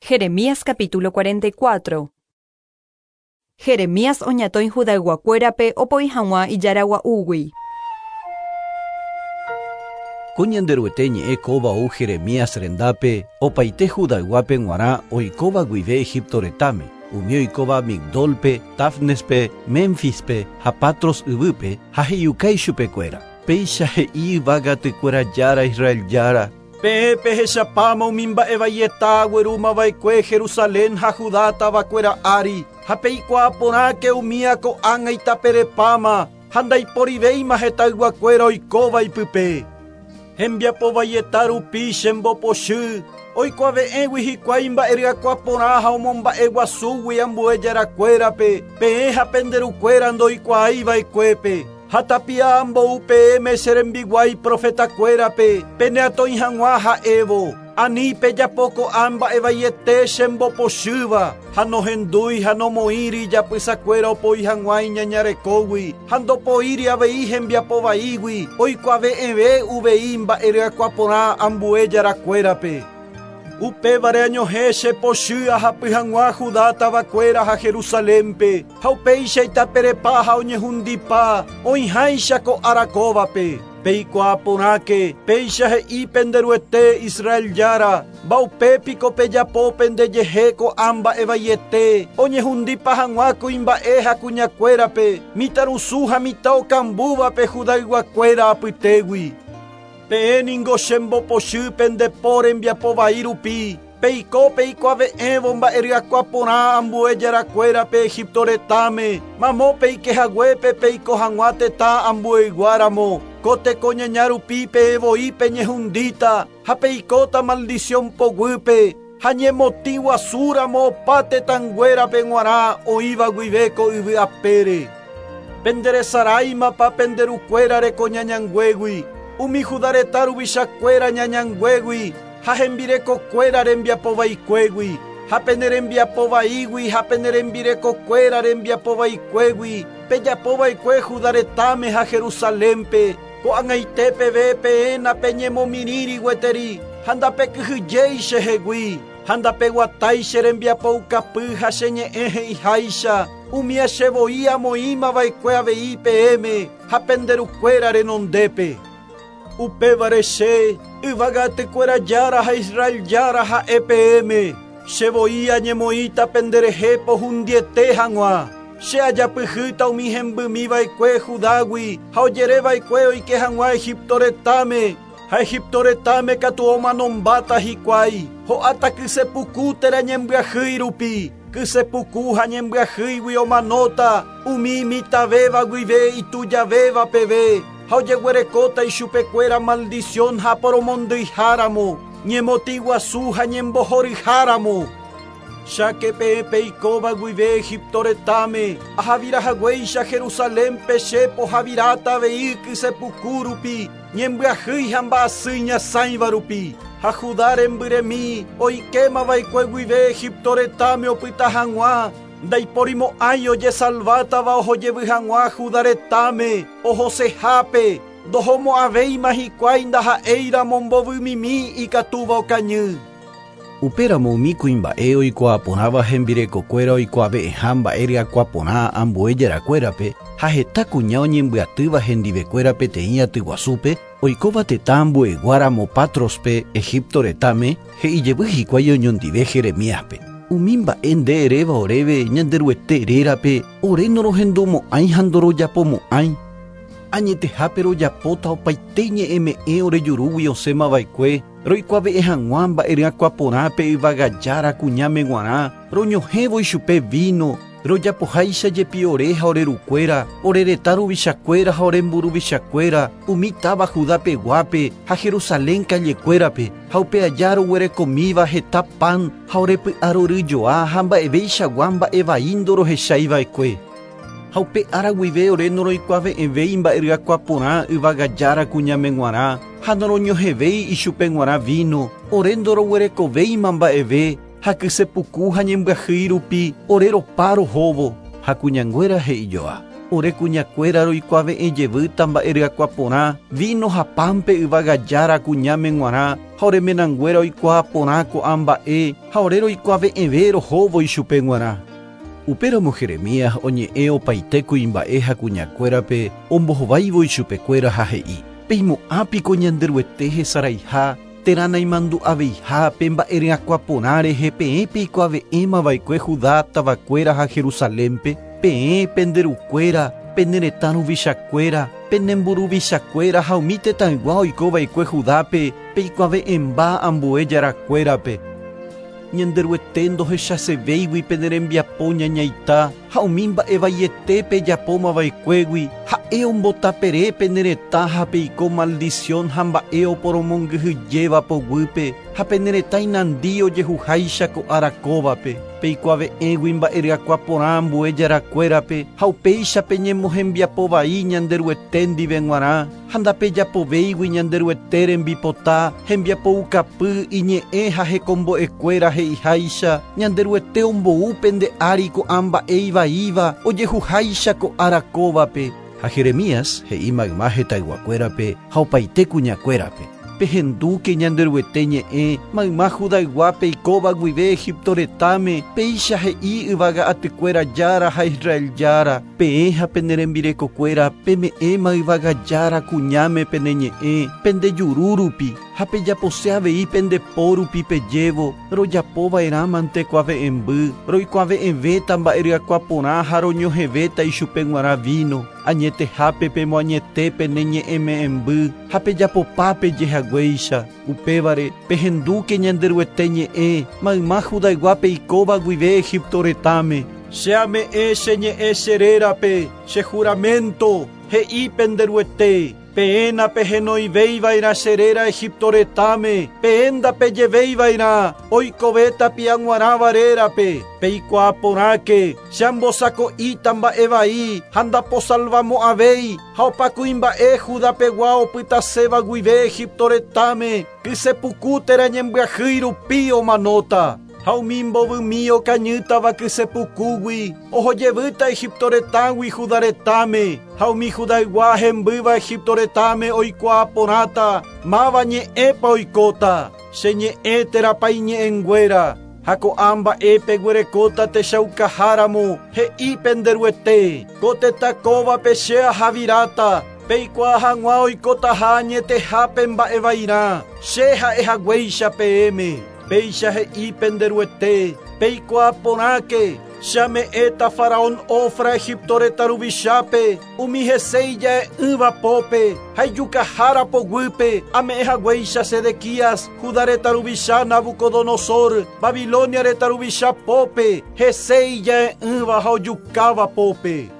Jeremías capítulo 44. Jeremías oñatõi Judayguakuérape opoi hag̃ua ijára gua'úgui. Ko Ñanderuete ñe'ẽ kóva ou Jeremías rendápe opaite Judayguápe g̃uarã oikóva guive Egipto retãme, umi oikóva Migdólpe, Tafnespe, Ménfispe ha Patros yvýpe, ha he'iuka ichupekuéra, Péicha he'i yvága atykuéra Jára Israel Jára, Peẽ pehechapáma umi mba'e vaieta aguerúma va'ekue Jerusalén ha Judá tavakuéra ári, ha peikuaa porãke umía ko'ág̃a itaperepáma ha ndaiporivéima hetãyguakuéra oikóva ipype. Hembiapo vaieta rupi chembopochy, oikuave'ẽgui hikuái mba'e ryakuã porã ha omomba'eguasúgui ambue jarakuérape, peẽ ha pende rukuéra ndoikuaái va'ekuépe. Ha tapia ambou peẽme che rembiguái profetakuérape peneatõi hag̃ua ha'évo, Ani pejapo ko'ã mba'e vaiete chembopochýva, ha nohendúi ha nomoĩri ijapysakuéra opoi hag̃ua iñañarekógui, ha ndopoíri avei hembiapo vaígui, oikuave'ẽve uvei mba'e ryakuã porã ambue jarakuérape. Upévare añohẽ che pochy ahapy hag̃ua Judá tavakuéra ha Jerusalénpe, ha upéicha itaperepa ha oñehundipa, oĩháicha ko ára kóvape. Peikuaa porãke, péicha he'i pende Ruete, Israel Jára, Mba'upe piko pejapo pendejehe ko'ã mba'e vaiete, oñehundipa hag̃ua kuimba'e ha kuñakuérape, mitãrusu ha mitã okambúvape Judayguakuéra apytégui. Peẽ ningo chembopochy pende po rembiapo vai rupi, peiko peikuave'ẽvo mba'e ryakuã porã ambue jarakuérape Egipto retãme, mamo peike haguépe peiko hag̃ua tetã ambueygua ramo. Ko teko ñaña rupi peẽ voi peñehundíta ha peikóta maldición poguýpe, ha ñemotĩ guasu ramo opa tetãnguérape g̃uarã oĩva guive ko yvy apére. Penderesaráimapa pende rukuéra reko ñañanguégui, umi Judá retã ruvichakuéra ñañanguégui ha hembirekokuéra rembiapo vaikuégui, ha pene rembiapo vaígui ha pene rembirekokuéra rembiapo vaikuégui pejapo va'ekue Judá retãme ha Jerusalénpe, ko'ag̃aite peve peẽ napeñemomirĩri gueteri ha ndapekyhyjéi chehegui, ha ndapeguatái che rembiapoukapy ha che ñe'ẽ he'iháicha, umía che voi amoĩma va'ekue avei peẽme ha pende rukuéra renondépe. Upévare che, yvága atykuéra Jára ha Israel Jára ha'e peẽme, che voi añemoĩta penderehe pohundiete hag̃ua. Che ajapyhýta umi hembymi va'ekue Judágui ha ojere va'ekue oike hag̃ua Egipto retãme, ha Egipto retãme katu omanombáta hikuái, ho'áta kyse puku térã ñembyahýi rupi, kyse puku ha ñembyahýigui omanóta umi imitãvéva guive itujavéva peve, ha ojeguerekóta ichupekuéra maldición ha poromondyiha ramo, ñemotĩ guasu ha ñembohoryha ramo. Cháke peẽ peikóva guive Egipto retãme, ahavira haguéicha Jerusalénpe che pohaviráta avei kyse puku rupi, ñembyahýi ha mba'asy iñasãiva rupi. Ha Judá rembyremi oikéma va'ekue guive Egipto retãme opyta hag̃ua, ndaiporimo'ãi ojesalvátava ohojevy hag̃ua Judá retãme, ohosehápe, ndohomo'ãvéima hikuái ndaha'éiramo mbovymimi ikatúva okañy. Upéramo umi kuimba'e oikuaa porãva hembirekokuéra oikuave'ẽha mba'e ryakuã porã ambue jarakuérape ha heta kuña oñembyatýva hendivekuéra peteĩ aty guasúpe, oikóva tetã ambuegua ramo Pátrospe, Egipto retãme, he'i jevy hikuái oñondive Jeremíaspe, Umi mba'e nde eréva oréve Ñanderuete rérape, ore norohendumo'ãi ha ndorojapomo'ãi. Añetehápe rojapóta opaite ñe'ẽme'ẽ ore jurúgui osẽma va'ekue, Roikuave'ẽ hag̃ua mba'e ryakuã porã pe yvága Jára kuñáme g̃uarã, roñohẽvo ichupe víno, rojapoháicha jepi ore ha ore rukuéra, ore retã ruvichakuéra ha ore mburuvichakuéra, umi táva Judá peguápe ha Jerusalén kallekuérape, ha upe aja roguerekomíva heta pan ha ore py'arory joa ha mba'eveichagua mba'e vai ndorohechái va'ekue. Ha upe ára guive ore noroikuave'ẽvéi mba'e ryakuã porã yvága Jára kuñáme g̃uarã, ha noroñohẽvéi ichupe g̃uarã víno, ore ndoroguerekovéima mba'eve, ha kyse puku ha ñembyahýi rupi ore ropa rohóvo. Ha kuñanguéra he'ijoa, Ore kuñakuéra roikuave'ẽ jevýta mba'e ryakuã porã, víno ha pánpe yvága Jára kuñáme g̃uarã, Ha ore menanguéra oikuaa porã ko'ã mba'e ha ore roikuave'ẽve rohóvo ichupe g̃uarã. Upéramo Jeremías oñe'ẽ opaite kuimba'e ha kuñakuérape ombohováivo ichupekuéra ha he'i, Peimo'ã piko Ñanderuete hesaraiha térã naimandu'aveiha pe mba'e ryakuã porã rehe peẽ peikuave'ẽma va'ekue Judá tavakuéra ha Jerusalénpe? Peẽ, pende rukuéra, pene retã ruvichakuéra, pene mburuvichakuéra ha umi tetãygua oiko va'ekue Judápe peikuave'ẽmba ambue jarakuérape. Ñanderuete ndohechasevéigui pene rembiapo ñañaita ha umi mba'e vaiete pejapóma va'ekuégui, ha'e ombotapere pene retã ha peiko maldición ha mba'e oporomongyhyjéva poguýpe ha pene retã inandi ojehuháicha ko ára kóvape. Peikuave'ẽgui mba'e ryakuã porã ambue jarakuérape ha upéicha peñemohembiapo vai Ñanderuete ndive g̃uarã ha ndapejapovéigui Ñanderuete rembipota, hembiapoukapy, iñe'ẽ ha hekombo'ekuéra he'iháicha, Ñanderuete ombou pende ári ko'ã mba'e ivaíva ojehuháicha ko ára kóvape. Ha Jeremías he'i mayma hetãyguakuérape ha opaite kuñakuérape, Pehendúke Ñanderuete ñe'ẽ mayma Judaygua peikóva guive Egipto retãme, péicha he'i yvága atykuéra Jára ha Israel Jára, Peẽ ha pene rembirekokuéra peme'ẽma yvága Jára kuñáme pene ñe'ẽ pende juru rupi, ha pejapose avei pende po rupi pejévo, Rojapo va'erãmante kuave'ẽmby, roikuave'ẽvéta mba'e ryakuã porã ha roñohẽvéta ichupe g̃uarã víno. Añetehápe pemoañete pene ñe'ẽme'ẽmby ha pejapopa peje haguéicha. Upévare, pehendúke Ñanderuete ñe'ẽ, mayma Judaygua peikóva guive Egipto retãme. Che ame'ẽ che ñe'ẽ che rérape, che juraménto, he'i pende Ruete, Peẽ napehenoivéi va'erã che réra Egipto retãme, peẽ ndapejevéi va'erã oikove tapia g̃uarãva rérape. Peikuaa porãke, che ambosako'íta mba'e vai ha ndaposalvamo'ãvéi, ha opa kuimba'e Judá pegua opytaséva guive Egipto retãme, kyse puku térã ñembyahýi rupi omanóta. Ha umi mbovymi okañýtava kyse pukúgui, oho jevýta Egipto retãgui Judá retãme, ha umi Judaygua hembýva Egipto retãme oikuaa porãta máva ñe'ẽpa oikóta, che ñe'ẽ térãpa iñe'ẽnguéra. Ha ko'ã mba'e peguerekóta techaukaháramo, he'i pende Ruete, Ko tetã kóvape che ahaviráta, peikuaa hag̃ua oikotaha añetehápe mba'e vairã, che ha'e haguéicha peẽme. Péicha he'i pende Ruete, Peikuaa porãke, che ame'ẽta faraón Ofra Egipto retã ruvichápe, umi hese ija'e'ỹva pópe ha ijukahára poguýpe, ame'ẽ haguéicha Sedequías, Judá retã ruvicha Nabucodonosor, Babilonia retã ruvicha pópe, hese ija'e'ỹva ha ojukáva pópe.